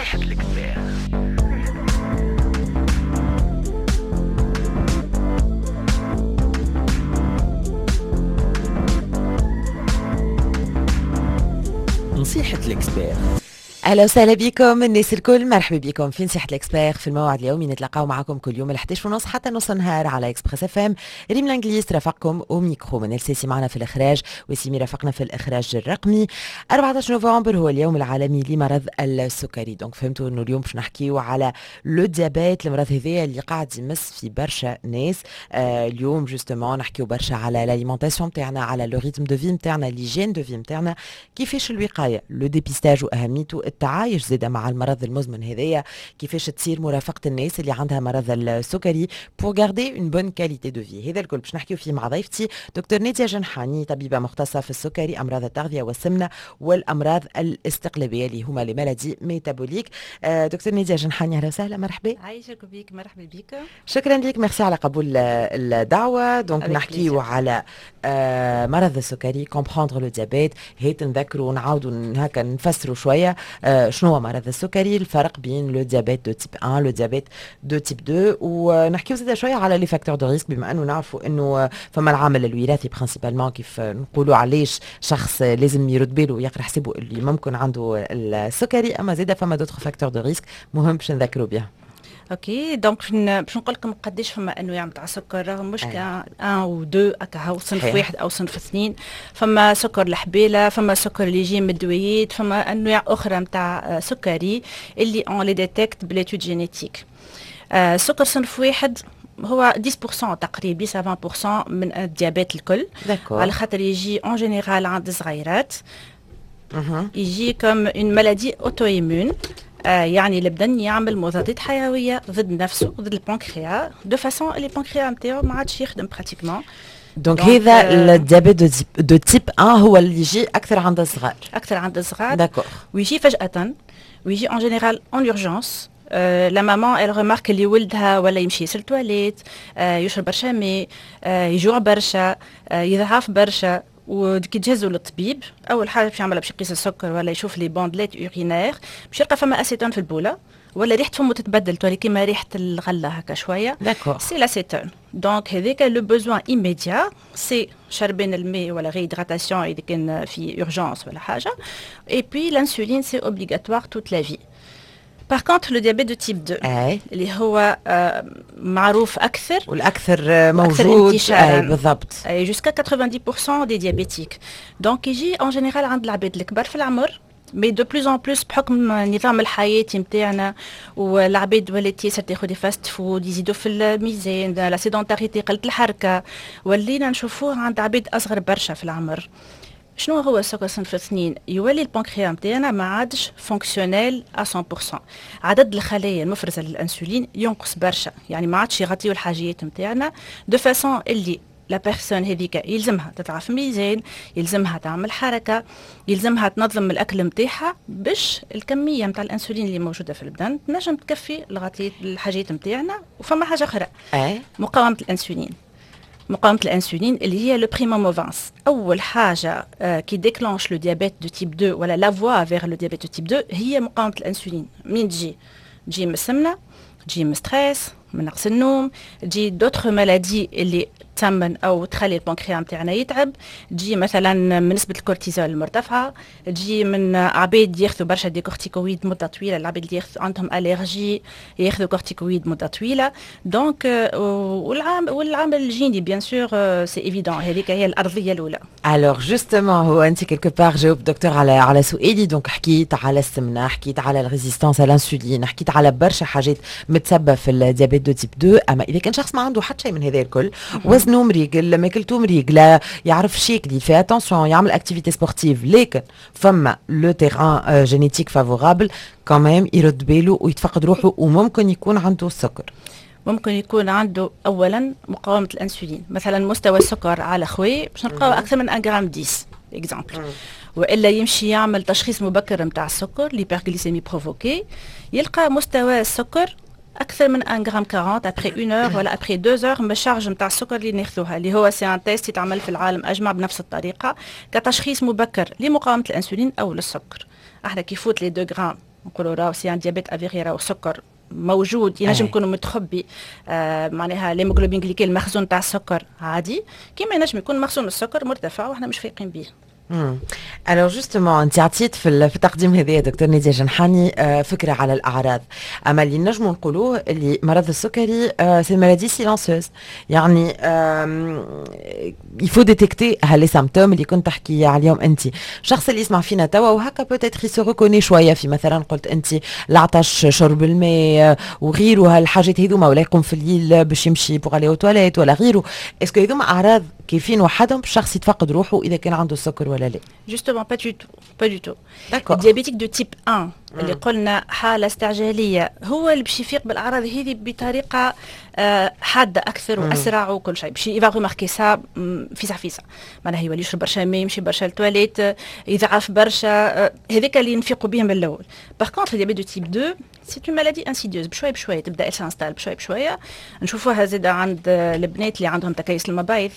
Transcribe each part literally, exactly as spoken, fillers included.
نصيحة l'expert. نصيحة l'expert. اهلا وسهلا بكم الناس الكل، مرحبا بكم في نصيحة l'expert في الموعد اليومي. نتلاقاو معكم كل يوم الحداش ونص حتى نص النهار على Express FM. ريم الانجليز ترافقكم وميكرو من السيسي معنا في الاخراج، وسيمي رافقنا في الاخراج الرقمي. أربعة عشر نوفمبر هو اليوم العالمي لمرض السكري، donc فهمتوا انه اليوم باش نحكيو على le diabète، المرض هذايا اللي قاعد يمس في برشا ناس. آه اليوم justement نحكيو برشا على l'alimentation نتاعنا، على le rythme de vie نتاعنا، l'hygiène de vie نتاعنا، كيفاش الوقايه، le dépistage واهميته، التعايش زاده مع المرض المزمن هذايا، كيفاش تصير مرافقة الناس اللي عندها مرض السكري pour garder une bonne qualité de vie. هذا الكل باش نحكيو فيه مع ضيفتي دكتور ناديه جنحاني، طبيبه مختصة في السكري، امراض التغذية والسمنه والامراض الاستقلابيه اللي هما les maladies métaboliques. آه، دكتور ناديه جنحاني، اهلا وسهلا، مرحبا. عايشك بيك، مرحبا بك. شكرا لك، ميرسي على قبول الدعوه. donc نحكيو على آه، مرض السكري، comprendre le diabète. هيت نذكروا ونعاودوا هكا نفسروا شوية آه، شنو هو مرض السكري، الفرق بين le diabète de type un، le diabète de type deux، ونحكيو زاد شوية على les facteurs de risque، بما انه نعرفوا انه فما العامل الوراثي principalement، كيف نقولوا علاش شخص لازم يرد باله ويقرا حسابه اللي ممكن عنده السكري، اما زاد فما d'autres facteurs de risque مهم باش نذكروا بها. OK، donc باش نقول لكم قداش فما انواع نتاع السكر، راهو مش كان un و deux هكا هو صنف واحد او صنف اثنين. فما سكر الحبيله، فما سكر اللي يجي من الدويات، فما انواع اخرى نتاع سكري اللي on les détecte ب l'étude génétique. سكر صنف واحد هو عشرة في المية تقريبا، عشرة عشرين في المية من ال diabète الكل، على خاطر يجي en général عند الصغيرات، يجي comme une maladie auto-immune، آه يعني البدن يعمل مضادات حيوية ضد نفسه، ضد البنكريا، de façon اللي البنكريا نتاعو ما عادش يخدم pratiquement. donc هذا ال diabète de type un هو اللي يجي اكثر عند الصغار. اكثر عند الصغار. d'accord. ويجي فجاة ويجي en général en urgence. la maman elle remarque اللي ولدها ولا يمشي ياسر التواليت، آه يشرب برشا ماء، آه يجوع برشا، آه يضعف برشا. وكي تجهزوا للطبيب، اول حاجة باش يعملها باش يقيس السكر ولا يشوف les bandelettes urinaires، باش يلقى فما اسيتون في البوله، ولا ريحه فمه تتبدل، تولي كيما ريحه الغلة هكا شويه. d'accord. c'est l'acétone. donc هذاك le besoin immédiat c'est شربين الماء ولا réhydratation اذا كان في urgence ولا حاجه، et puis l'insuline c'est obligatoire toute la vie. par contre le diabète de type deux اي اللي هو آه، معروف اكثر والاكثر موجود، اي بالضبط. jusqu'à quatre-vingt-dix pour cent des diabétiques. donc يجي en général عند العباد الكبار في العمر، mais de plus en plus بحكم نظام الحياة نتاعنا، والعباد ولات ياسر تاخذ des fast-foods، يزيدوا في الميزان، la sédentarité، قلة الحركة، ولينا نشوفوه عند عباد أصغر برشا في العمر. شنو هو السكر صنف اثنين؟ يولي البنكريا نتاعنا ما عادش fonctionnel مية في المية، عدد الخلايا المفرزه للانسولين ينقص برشا، يعني ما عادش يغطيو الحاجيات نتاعنا، de façon اللي la personne هذيك يلزمها تضعف ميزان، يلزمها تعمل حركه، يلزمها تنظم الاكل نتاعها باش الكمية نتاع الانسولين اللي موجودة في البدن تنجم تكفي لغطية الحاجات نتاعنا. وفما حاجة اخرى، اي مقاومة الانسولين. مقاومة الانسولين اللي هي le primum movens، اول حاجة qui déclenche le diabète de type deux ولا la voie vers le diabète de type deux هي مقاومة الانسولين. منين تجي؟ تجي من السمنه، تجي من stress، من نقص النوم، تجي d'autres maladies اللي تسمن او تخلي البنكريا نتاعنا يتعب، تجي مثلا من نسبه الكورتيزول المرتفعه، تجي من عباد ياخذوا برشا des corticoïdes مده طويله، العباد اللي ياخذوا عندهم allergie ياخذوا corticoïdes مده طويله. donc والعام والعامل الجيني bien sûr، c'est évident، هذيك هي الارضية الاولى. alors justement هو انت quelque part جاوب دكتور على على سؤالي. donc حكيت على السمنه، حكيت على ال résistance à l'insuline، حكيت على برشا حاجات متسبه في ال diabète de type deux. اما اذا كان شخص ما عنده حتى شيء من هذا الكل، وزنه مريقل، ماكلته مريقله، يعرف شيكلي، fait attention، يعمل activité sportive، لكن فما le terrain génétique favorable، quand même يرد باله ويتفقد روحه وممكن يكون عنده السكر. ممكن يكون عنده اولا مقاومة الانسولين، مثلا مستوى السكر على خوي باش نلقاو اكثر من واحد غرام عشرة exemple، والا يمشي يعمل تشخيص مبكر نتاع السكر، l'hyperglycémie provoquée، يلقى مستوى السكر اكثر من واحد غرام أربعين après une heure ولا après deux heures من ال charge نتاع السكر اللي ناخذوها، اللي هو c'est un test يتعمل في العالم اجمع بنفس الطريقة كتشخيص مبكر لمقاومة الانسولين او للسكر. احنا كي يفوت les deux غرام نقولوا راهو c'est un diabète avéré، راهو سكر موجود، ينجم يكون متخبي، آه معناها l'hémoglobine glyquée، المخزون تاع السكر عادي، كيما ينجم يكون مخزون السكر مرتفع واحنا مش فايقين به. alors justement، انت عطيت في في التقديم هذا دكتور ناديه جنحاني آه، فكرة على الاعراض، اما اللي نجموا نقولوه اللي مرض السكري c'est maladie silencieuse، يعني il faut détecter les symptômes اللي كنت تحكي عليهم انت. الشخص اللي يسمع فينا توا وهكا peut-être se reconnaît شوية في مثلا قلت انت العطش، شرب الماء وغيره، هالحاجات هذوما، ولا يقوم في الليل باش يمشي pour aller aux toilettes ولا غيره، est-ce que هذوما اعراض كيفين وحدهم الشخص يتفقد روحه اذا كان عنده السكر ولا لا؟ justement، pas du tout، pas du tout. ال diabétique de type واحد اللي قلنا حاله استعجاليه هو اللي باش يفيق بالاعراض هذه بطريقة آه، حادة اكثر واسرع وكل شيء، باش il va remarquer ça فيسع فيسع، معناها يولي يشرب برشا ماء، يمشي برشا للتواليت، يضعف برشا، آه، هذاك اللي نفيقوا به من الاول. par contre ال diabète de type deux c'est une maladie insidieuse، بشوية بشوية تبدا s'installe، بشوية بشويه. نشوفوها زاده عند البنات اللي عندهم تكيس المبايض،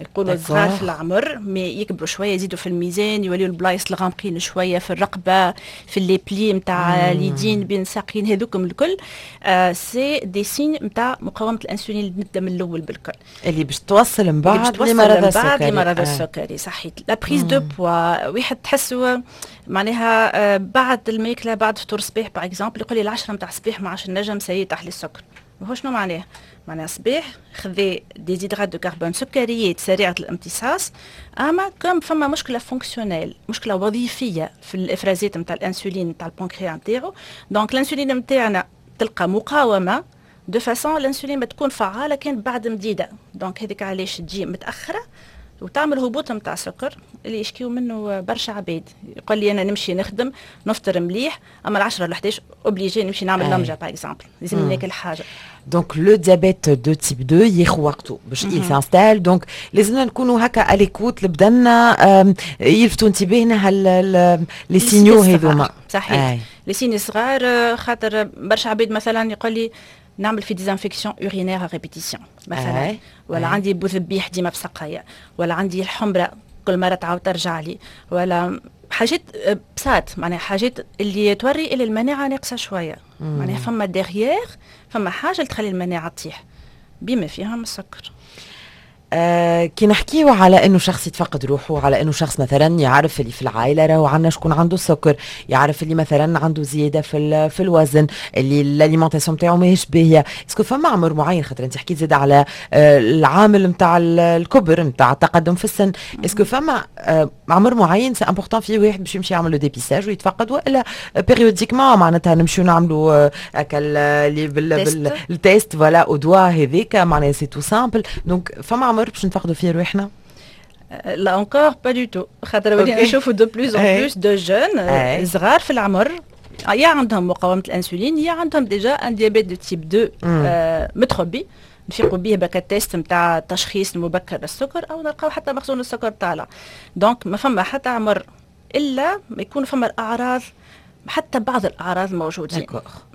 يقولوا صغار في العمر mais يكبروا شويه، يزيدوا في الميزان، يوليو البلايص الغامقين شوية في الرقبه، في les plis نتاع اليدين، بين الساقين، هذوكم الكل آه c'est des signes نتاع مقاومة الانسولين اللي نبدا من الاول بالكل. اللي باش توصل من بعد لمرض السكري. لمرض آه. السكري، صحيت. la prise de poids، واحد تحسوا معناها آه بعد الماكله، بعد فطور الصباح par exemple، يقول لي العشرة نتاع الصباح ما عادش نجم، ça y est طاح لي السكر. وهو شنو معناه؟ معناها صباح خذي des hydrates de carbone، سكريات سريعة الامتصاص، اما comme فما مشكلة fonctionnelle، مشكلة وظيفية في الافرازات نتاع الانسولين نتاع البنكريا نتاعو، donc الانسولين نتاعنا تلقى مقاومه، de façon الانسولين ما تكون فعاله كان بعد مديده، donc هذيك علاش تجي متاخرة وتعمل هبوط نتاع سكر اللي يشكيو منه برشا عباد. يقول لي انا نمشي نخدم، نفطر مليح، اما العشرة ل حداش obligé نمشي نعمل لمجه par exemple، لازم ناكل حاجه. donc le diabète de type deux ياخذ وقته باش il s'installe، donc لازمنا نكونوا هكا à l'écoute لبدنا، يلفتوا انتباهنا les signaux هذوما. صحيح، les signes صغار، خاطر برشا عباد مثلا يقول لي نعمل في des infections urinaires à répétition مثلا، ولا عندي بوذبيح ديما في سقايا، ولا عندي الحمرة كل مرة تعاود ترجع لي، ولا حاجات بسات، معناها حاجات اللي توري اللي المناعة ناقصه شويه، معناها فما derrière فما حاجة اللي تخلي المناعة تطيح بما فيها السكر. آه كي نحكيو على انه شخص يتفقد روحه، على انه شخص مثلا يعرف اللي في العائلة راهو عندنا شكون عنده السكر، يعرف اللي مثلا عنده زيادة في في الوزن، اللي l'alimentation نتاعو ماهيش باهيه، est-ce que فما عمر معين؟ خاطر انت حكيت زاد على آه العامل نتاع الكبر، نتاع التقدم في السن، est-ce que فما آه عمر معين c'est important فيه واحد باش يمشي يعمل le dépistage ويتفقد، والا périodiquement معناتها نمشيو نعملوا هكا اللي بال test voilà au doigt هذيك، معناها c'est tout simple؟ donc فما عمر باش نفقدوا فيه رواحنا؟ là encore pas du tout، خاطر ولينا نشوفوا de plus en plus de jeunes صغار في العمر، يا عندهم مقاومة الانسولين يا عندهم déjà un diabète de type deux متخبي، نفيقوا به بك ال test نتاع التشخيص المبكر للسكر، او نلقاو حتى مخزون السكر طالع. donc ما فما حتى عمر الا ما يكون فما الاعراض، حتى بعض الاعراض موجودين.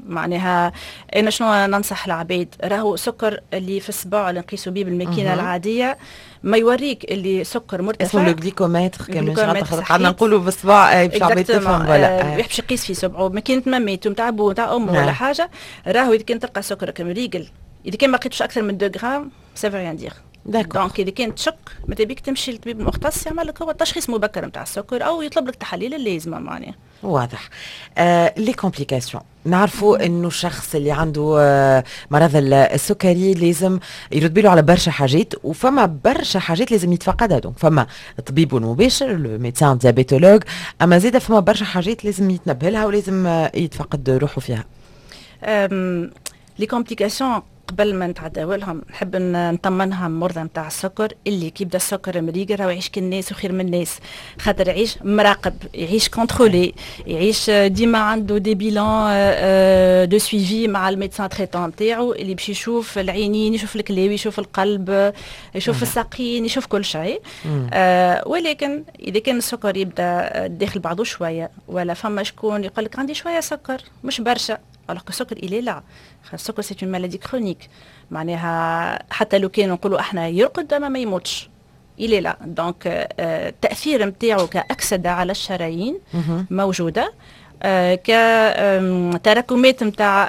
معناها انا شنو ننصح العباد؟ راهو سكر اللي في الصباع اللي نقيسوا به بالماكينه العادية ما يوريك اللي سكر مرتفع. اسمه le glycomètre، كان مش قعدنا نقولوا بالصباع باش العباد تفهم. voilà، باش يقيس في صبعه ماكينة ماميتو نتاع بو نتاع امه ولا حاجه. راهو اذا كان تلقى سكرك مريقل، اذا كان ما لقيتش اكثر من اثنين غرام، ça veut rien dire. donc اذا كان تشك ماذا بيك تمشي للطبيب المختص يعمل لك هو التشخيص مبكر نتاع السكر او يطلب لك تحاليل اللازمة معناها. واضح. آه les complications، نعرفوا انه الشخص اللي عنده آه مرض السكري لازم يرد باله على برشا حاجات، وفما برشا حاجات لازم يتفقدها، donc فما طبيب المباشر، le médecin diabétologue، اما زيد فما برشا حاجات لازم يتنبه لها ولازم آه، يتفقد روحه فيها. les complications، قبل ما نتعداو لهم نحب نطمنها مرضى نتاع السكر اللي كي يبدا السكر مريقل راهو يعيش كالناس وخير من الناس، خاطر يعيش مراقب، يعيش contrôlé، يعيش ديما عنده des bilans de suivi مع ال médecin traitant نتاعو اللي باش يشوف العينين، يشوف الكلاوي، يشوف القلب، يشوف الساقين، يشوف كل شيء. آه ولكن اذا كان السكر يبدا داخل بعضه شويه، ولا فما شكون يقول لك عندي شوية سكر مش برشا، alors que السكر il est là، السكر c'est une maladie chronique، معناها حتى لو كان نقولوا احنا يرقد ما ما يموتش، il est là. donc التاثير نتاعو كاكسده على الشرايين موجوده. آه كتراكمات نتاع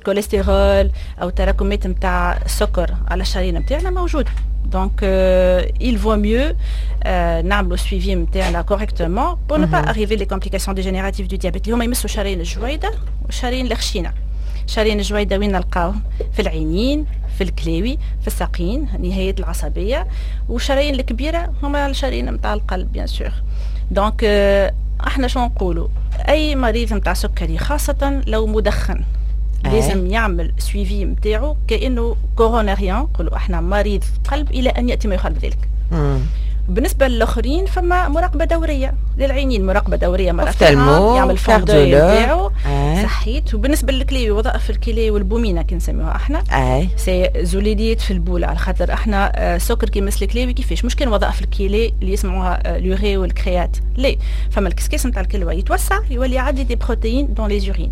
كوليسترول او تراكمات نتاع السكر على الشرايين نتاعنا موجوده. donc il vaut mieux euh, نعملوا suivi نتاعنا correctement pour ne pas arriver les complications dégénératives du diabète اللي هما يمسوا شرايين الجويده والشرايين الخشينه. شرايين الجويده وين نلقاوهم؟ في العينين، في الكلاوي، في الساقين، النهايات العصبيه. والشرايين الكبيرة هما الشرايين نتاع القلب bien sûr. donc احنا شو نقولوا؟ اي مريض نتاع سكري، خاصة لو مدخن، لازم يعمل suivi نتاعو كانه coronarien، نقولوا احنا مريض قلب الى ان ياتي ما يخالف ذلك. بالنسبة للاخرين فما مراقبة دورية للعينين، مراقبة دورية مرة في العام، يعمل fond d'œil نتاعو، صحيت. وبالنسبة للكلي، وظائف الكلي والبومينه كي نسميوها احنا، اي c'est زلاليات في البول، على خاطر احنا آه، سكر كي يمس الكلاوي كيفاش؟ مش كان وظائف الكلي اللي يسمعوها آه، l'urée وال créat، لا، فما الكسكاس نتاع الكلوه يتوسع، يولي يعدي des protéines dans les urines،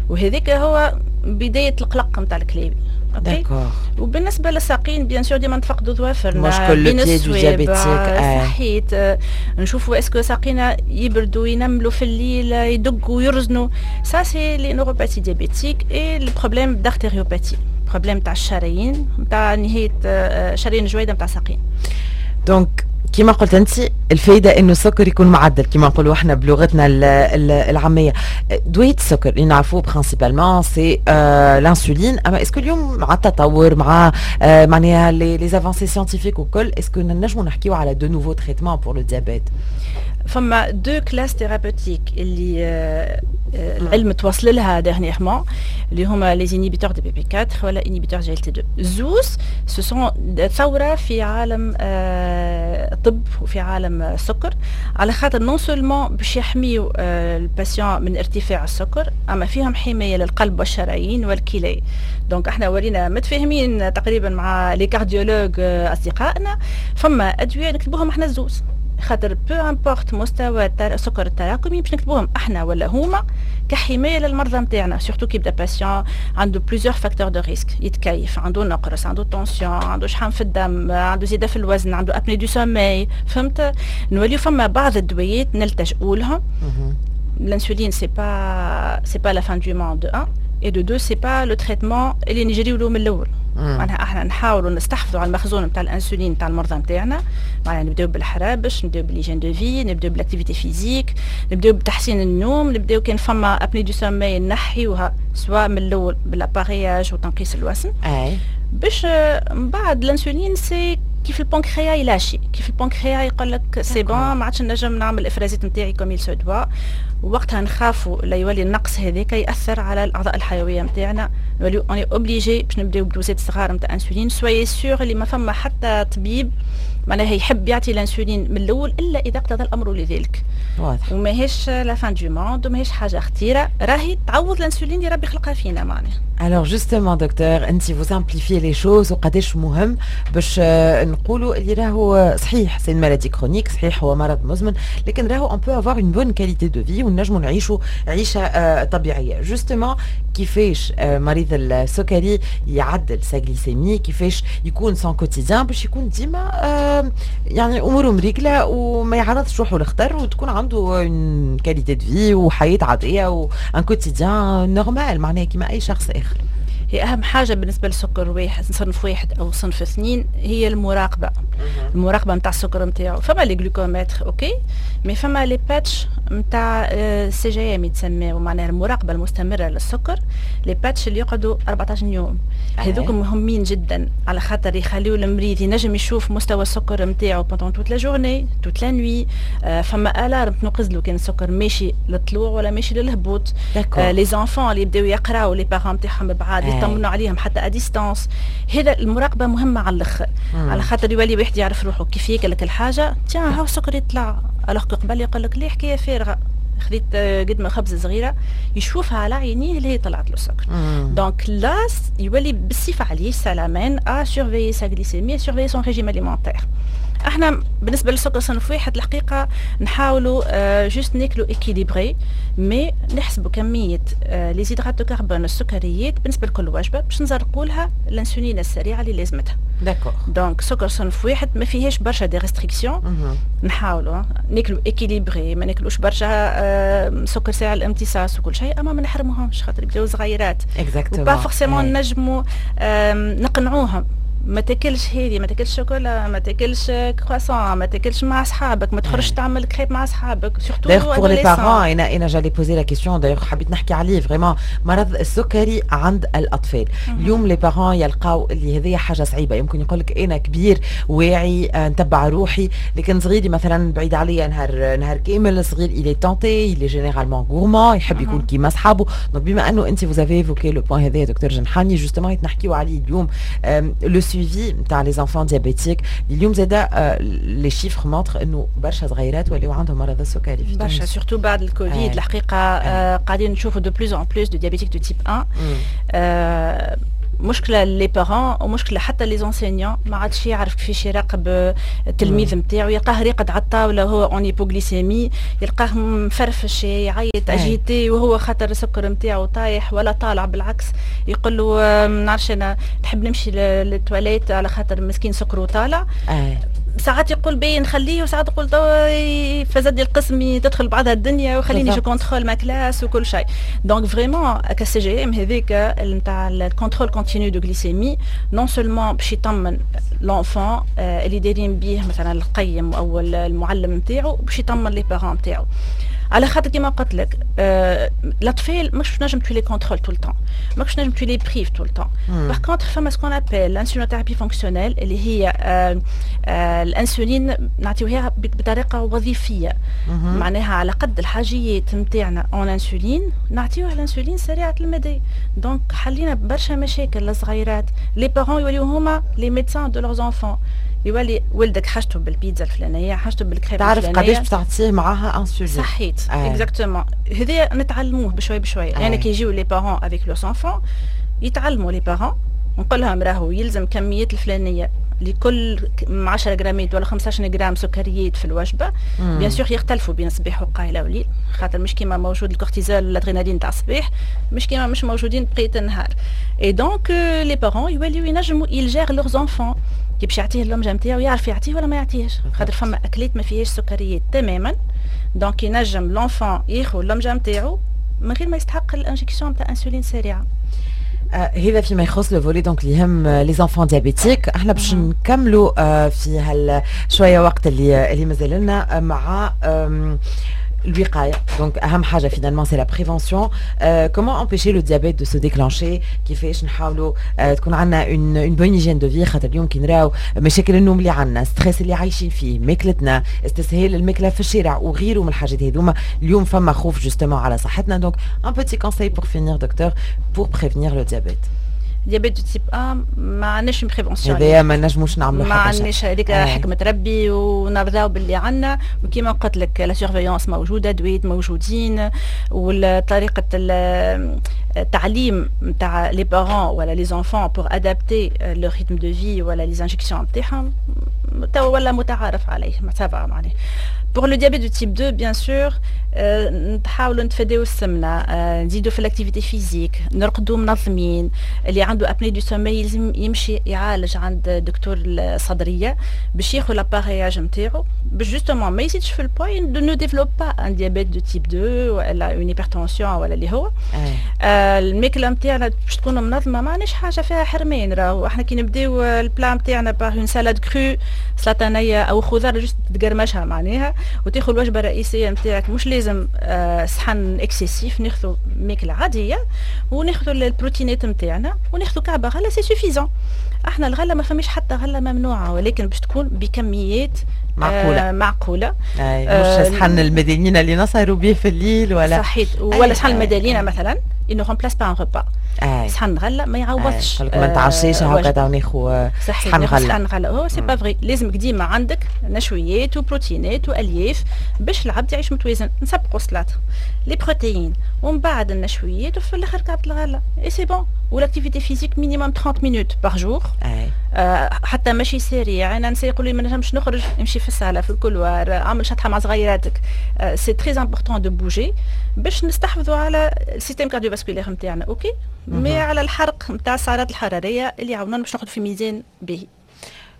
وهذاك هو بداية القلق نتاع الكلاوي. d'accord. وبالنسبة للساقين bien sûr ديما نتفقدوا ظوافرنا. مشكل le pied du diabétique. صحيت، نشوفوا est-ce que ساقينا يبردوا، ينملوا في الليل، يدقوا، يرزنوا. ça c'est les neuropathies diabétiques et le problème d'artériopathie، problème تاع الشرايين نتاع نهاية شرايين الجويده نتاع الساقين. donc كما قلت انت، الفايدة انه السكر يكون معدل كما نقولوا احنا بلغتنا العاميه. دوية السكر اللي نعرفوه principalement c'est l'insuline، اما est-ce que اليوم مع التطور، مع آه معناها les avancées scientifiques وكل، est-ce que نجموا نحكيو على de nouveaux traitements pour le diabète؟ فما deux classes thérapeutiques اللي آه، آه، العلم توصل لها dernièrement، اللي هما les inhibiteurs D P P أربعة ولا inhibiteurs G L T اثنين. زوز ce sont ثورة في عالم آه، الطب وفي عالم السكر، على خاطر non seulement باش يحميو ال patient من ارتفاع السكر، اما فيهم حماية للقلب والشرايين والكلى. donc احنا ولينا متفاهمين تقريبا مع les cardiologues اصدقائنا، فما ادوية نكتبوهم احنا الزوز، خاطر peu importe مستوى السكر التراكمي، باش نكتبوهم احنا ولا هما كحمايه للمرضى نتاعنا، surtout كي يبدا patient عنده plusieurs facteurs de risque، يتكيف، عنده نقرس، عنده tension، عنده شحم في الدم، عنده زيادة في الوزن، عنده apnée du sommeil، فهمت؟ نوليو فما بعض الدويات نلتجؤوا لهم. l'insuline c'est pas c'est pas la fin du monde de un، et de deux c'est pas le traitement اللي نجريو له من الاول. معناها احنا نحاولوا نستحفظوا على المخزون نتاع الانسولين نتاع المرضى نتاعنا، معناها نبداو بالحرابش، نبداو ب l'hygiène de vie، نبداو ب l'activité physique، نبداو بتحسين النوم، نبداو كان فما apnée du sommeil نحيوها soit من الاول بال appareillage وتنقيص الوزن. اي باش من بعد l'insuline c'est كيف البنكريا يلاشي، كيف البنكريا يقول لك c'est bon، ما عادش نجم نعمل الافرازات نتاعي comme il se doit، وقتها نخافوا لا يولي النقص هذاك ياثر على الاعضاء الحيوية نتاعنا، نوليو on est obligé باش نبداو بدوزات صغار نتاع انسولين. soyez sûrs اللي ما فما حتى طبيب معناها يحب يعطي الانسولين من الاول الا اذا اقتضى الامر لذلك. واضح. وماهيش la fin du monde وماهيش حاجة خطيره، راهي تعوض الانسولين اللي ربي خلقها فينا معناها. Alors justement docteur، انت vous simplifiez les choses، وقداش مهم باش نقولوا اللي راهو صحيح c'est maladie chronique، صحيح هو مرض مزمن، لكن راهو on peut avoir une bonne qualité de vie ونجموا نعيشوا عيشه طبيعيه. justement كيفاش مريض السكري يعدل sa glycémie؟ كيفاش يكون son quotidien باش يكون ديما يعني اموره مريقله وما يعرضش روحه للخطر وتكون عنده une qualité de vie وحياه عادية و un quotidien normal، معناها كيما اي شخص اخر؟ هي اهم حاجة بالنسبة للسكر واحد، صنف واحد او صنف اثنين، هي المراقبه، المراقبة نتاع السكر نتاعو. فما les glucomètres OK، mais فما les patchs نتاع C G M يتسمى، معناها المراقبة المستمرة للسكر، les patchs اللي يقعدوا أربعطاش يوم. هذوك مهمين جدا على خاطر يخليو المريض ينجم يشوف مستوى السكر نتاعو pendant toute la journée، toute la nuit. فما alarme تنقز له كان السكر ماشي للطلوع ولا ماشي للهبوط. les enfants اللي يبداو يقراو، les parents نتاعهم بعاد، يطمنوا عليهم حتى à distance. هذا المراقبة مهمة على الاخر، على خاطر يولي واحد يعرف روحه كيف ياكل الحاجه، tiens هاو السكر يطلع، alors قبل يقول لك ليه حكاية فارغه، خذيت قد ما خبزه صغيره، يشوفها على عينيه اللي هي طلعت له السكر. donc là يولي بالصفة عليه ça l'amène à surveiller sa glycémie، surveiller son régime alimentaire. احنا بالنسبة للسكر صنف واحد الحقيقة نحاولوا آه juste ناكلوا équilibré، mais نحسبوا كمية آه les hydrates de carbone، السكريات بالنسبة لكل وجبه، باش نزرقوا لها الانسولين السريعة اللي لازمتها. d'accord. donc سكر صنف واحد ما فيهاش برشا des restrictions. نحاولوا ناكلوا équilibré، ما ناكلوش برشا آه سكر سريع الامتصاص وكل شيء، اما ما نحرموهمش خاطر يبداو صغيرات. exactement. pas forcément نجموا نقنعوهم ما تاكلش هذه، ما تاكلش شوكولا، ما تاكلش كرواسون، ما تاكلش مع اصحابك، ما تخرجش تعمل كريب مع اصحابك. surtout d'ailleurs pour les parents، انا انا j'allais poser la question d'ailleurs، حبيت نحكي عليه vraiment، مرض السكري عند الاطفال. اليوم les parents يلقاو اللي هذه حاجة صعيبه، يمكن يقول لك انا كبير واعي آه، نتبع روحي، لكن صغيري مثلا بعيد عليا نهار نهار كامل، صغير il est tenté، il est généralement gourmand، يحب يكون كيما اصحابه. donc بما انه انت vous avez évoqué le point هذا دكتور جنحاني، justement نحكيو عليه اليوم، le suivi نتاع les enfants diabétiques. اليوم زادا les chiffres montrent انه برشا صغيرات ولاو عندهم مرض السكري في برشا، surtout بعد الكوفيد. الحقيقة آه قاعدين نشوفوا de plus en plus de diabétiques de type un. آه مشكلة les parents ومشكلة حتى les enseignants، ما عادش يعرف كيفاش يراقب التلميذ نتاعو. يلقاه راقد على الطاولة وهو en hypoglycémie، يلقاه مفرفش، يعيط، agité، وهو خاطر السكر نتاعو طايح ولا طالع بالعكس. يقول له نعرفش انا نحب نمشي للتواليت، على خاطر مسكين سكره طالع. ساعات يقول باهي نخليه، وساعات يقول توا فزد القسم، تدخل بعضها الدنيا وخليني je contrôle ma classe وكل شيء. donc vraiment ك CGM هذيك نتاع ال contrôle continu de glycémie، non seulement باش يطمن l'enfant اللي دايرين بيه، مثلا القيم او المعلم نتاعو، باش يطمن les parents نتاعو، على خاطر كيما قلت لك آه الاطفال مش نجم tu les contrôles tout le temps، ماكش نجم tu les prives tout le temps. par contre فما ce qu'on appelle l'insulinothérapie fonctionnelle، اللي هي آه آه الانسولين نعطيوها بطريقة وظيفيه، معناها على قد الحاجيات نتاعنا en insuline نعطيوها الانسولين سريعة المدى. donc حلينا برشا مشاكل للصغيرات. les parents يوليو هما les médecins de leurs enfants، يولي ولدك حاجته بالبيتزا الفلانيه، حاجته بالكريب. تعرف قداش باش تعطيه معاها انسولين. صحيت، exactement. هذا نتعلموه بشوي بشوي. يعني كي يجيو les parents avec leurs enfants يتعلموا les parents، نقول لهم راهو يلزم كميات الفلانية لكل عشرة جرامات ولا خمسطاش جرام سكريات في الوجبه. bien sûr يختلفوا بين الصباح وقايله وليل، خاطر مش كيما موجود الكورتيزول والادرينالين تاع الصباح مش كيما مش موجودين بقية النهار. et donc les parents يوليو ينجموا ils gèrent leurs enfants، كي باش يعطيه اللمجه نتاعو يعرف يعطيه ولا ما يعطيهش، خاطر فما اكلات ما فيهاش سكريات تماما. donc ينجم l'enfant ياخذ اللمجه نتاعو من غير ما يستحق ال injection تاع انسولين سريعه. آه هذا فيما يخص le volet donc اللي يهم les enfants diabétiques. احنا باش نكملوا آه في هال شوية وقت اللي اللي مازال لنا مع الوقايه. donc اهم حاجة finalement c'est la prévention، comment empêcher le diabète de se déclencher، كيفاش نحاولوا uh, تكون عندنا une une bonne hygiène de vie، خاطر اليوم كي نراو مشاكل النوم اللي عندنا، stress اللي عايشين فيه، ماكلتنا، استسهال الماكلة في الشارع وغيره من الحاجات هذوما، اليوم فما خوف justement على صحتنا. donc un petit conseil pour finir docteur، pour prévenir le diabète. diabète de type un ما عندناش prévention. هذايا ما نجموش نعملوا. ما عندناش، هذيك حكمه ربي ونرضاو باللي عندنا. وكيما قلت لك la surveillance موجوده، دويات موجودين، وطريقه التعليم نتاع les parents ولا les enfants pour adapter le rythme de vie ولا les injections نتاعهم توا ولا متعارف عليه ça va معناها. Pour le diabète de type deux، bien sûr، نحاولوا نتفاداو السمنه، نزيدوا في l'activité physique، نرقدوا منظمين. اللي عنده apnée du sommeil لازم يمشي يعالج عند دكتور الصدرية باش ياخذ l'appareillage نتاعو، باش justement ما يزيدش في ال poids، ne développe pas un diabète de type deux ولا une hypertension ولا اللي هو. آه الماكلة نتاعنا باش تكون منظمه، ما عندناش حاجة فيها حرمان. راهو احنا كي نبداو ال plat نتاعنا par une salade crue، سلطة نيه او خضار juste تقرمشها معناها، وتاخذ الوجبة الرئيسية نتاعك، مش لازم آه صحن excessif، ناخذ ماكله عادية وناخذ البروتينات نتاعنا وناخذ كعبه غله، c'est suffisant. احنا الغلة ما فماش حتى غله ممنوعه، ولكن باش تكون بكميات معقولة. آه معقوله. أي، مش صحن المدينة اللي نسهروا به في الليل ولا صحيت، ولا صحن المدينة مثلا، il ne remplace pas un repas. صحن غله ما يعوضش. ما نتعشيش هكا وناخذ صحن غله. صحن غله هو c'est pas vrai. لازمك ديما عندك نشويات وبروتينات والياف باش العبد يعيش متوازن. نسبقوا السلطه، les protéines، ومن بعد النشويات، وفي الاخر كعبه الغله، et c'est bon. و l'activité physique minimum trente minutes par jour. آه، حتى ماشي سريع. انا نسي يقولوا لي ما نجمش نخرج، نمشي في الصاله، في ال couloir، اعمل شطحة مع صغيراتك. c'est très important de bouger باش نستحفظوا على ال système cardiovasculaire نتاعنا، OK، mais على الحرق نتاع السعرات الحرارية اللي يعاونونا باش نقعدوا في ميزان باهي.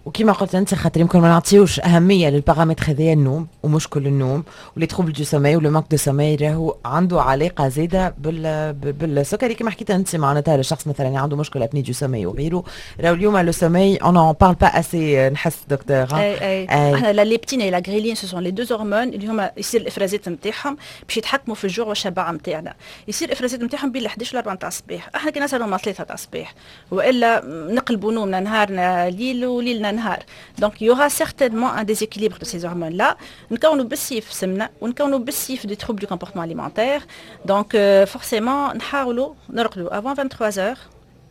وكما قلت انت، خاطر يمكن ما نعطيوش اهمية للبارامتر هذايا، النوم ومشكل النوم و les troubles du sommeil و le manque de sommeil راهو عنده علاقة زاده بال بالسكري كما حكيت انت. معناتها الشخص مثلا عنده مشكلة apnée du sommeil وغيره، راهو اليوم le sommeil on en parle pas assez نحس دكتور. اي اي، احنا la leptine، la ghréline، ce sont les deux hormones اللي هما يصير الافرازات نتاعهم باش يتحكموا في الجوع والشبع نتاعنا. يصير الافرازات نتاعهم بين احداش و أربعة نتاع الصباح. احنا كي نسهروا مع ثلاثة تاع الصباح والا نقلبوا نومنا، نهارنا ليل وليلنا نهار، donc il y aura certainement un déséquilibre de ces hormones-là. نكونوا بالسيف سمنه ونكونوا بالسيف des troubles du comportement alimentaire. donc forcément نحاولوا نرقدوا avant vingt-trois heures،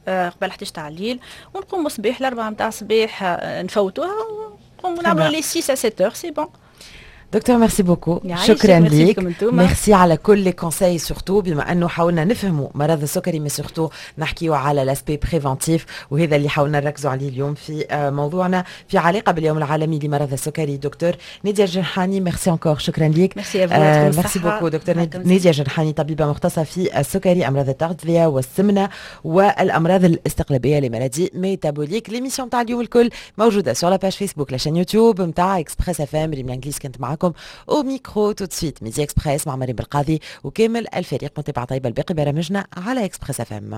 قبل احداش تاع الليل، ونقوموا الصباح الأربعة نتاع الصباح نفوتوها ونقوموا نعملوا les six à sept heures، c'est bon. دكتور، merci beaucoup، شكرا ليك، ميرسي على كل les conseils، surtout بما انه حاولنا نفهموا مرض السكري mais surtout نحكيو على l'aspect préventif، وهذا اللي حاولنا نركزوا عليه اليوم في موضوعنا في علاقة باليوم العالمي لمرض السكري. دكتور ناديه الجرحاني، merci encore، شكرا ليك. ميرسي. merci beaucoup دكتور ناديه الجرحاني، طبيبه مختصة في السكري، امراض التغذية والسمنه والامراض الاستقلابيه، les maladies métaboliques. l'émission تاع اليوم الكل موجودة sur la page Facebook، la chaîne YouTube نتاع Express FM. ريم الانجليز كنت معكم au micro. tout de suite Midi Express مع مريم بالقاضي وكامل الفريق. متابعة طيبة لباقي برامجنا على Express FM.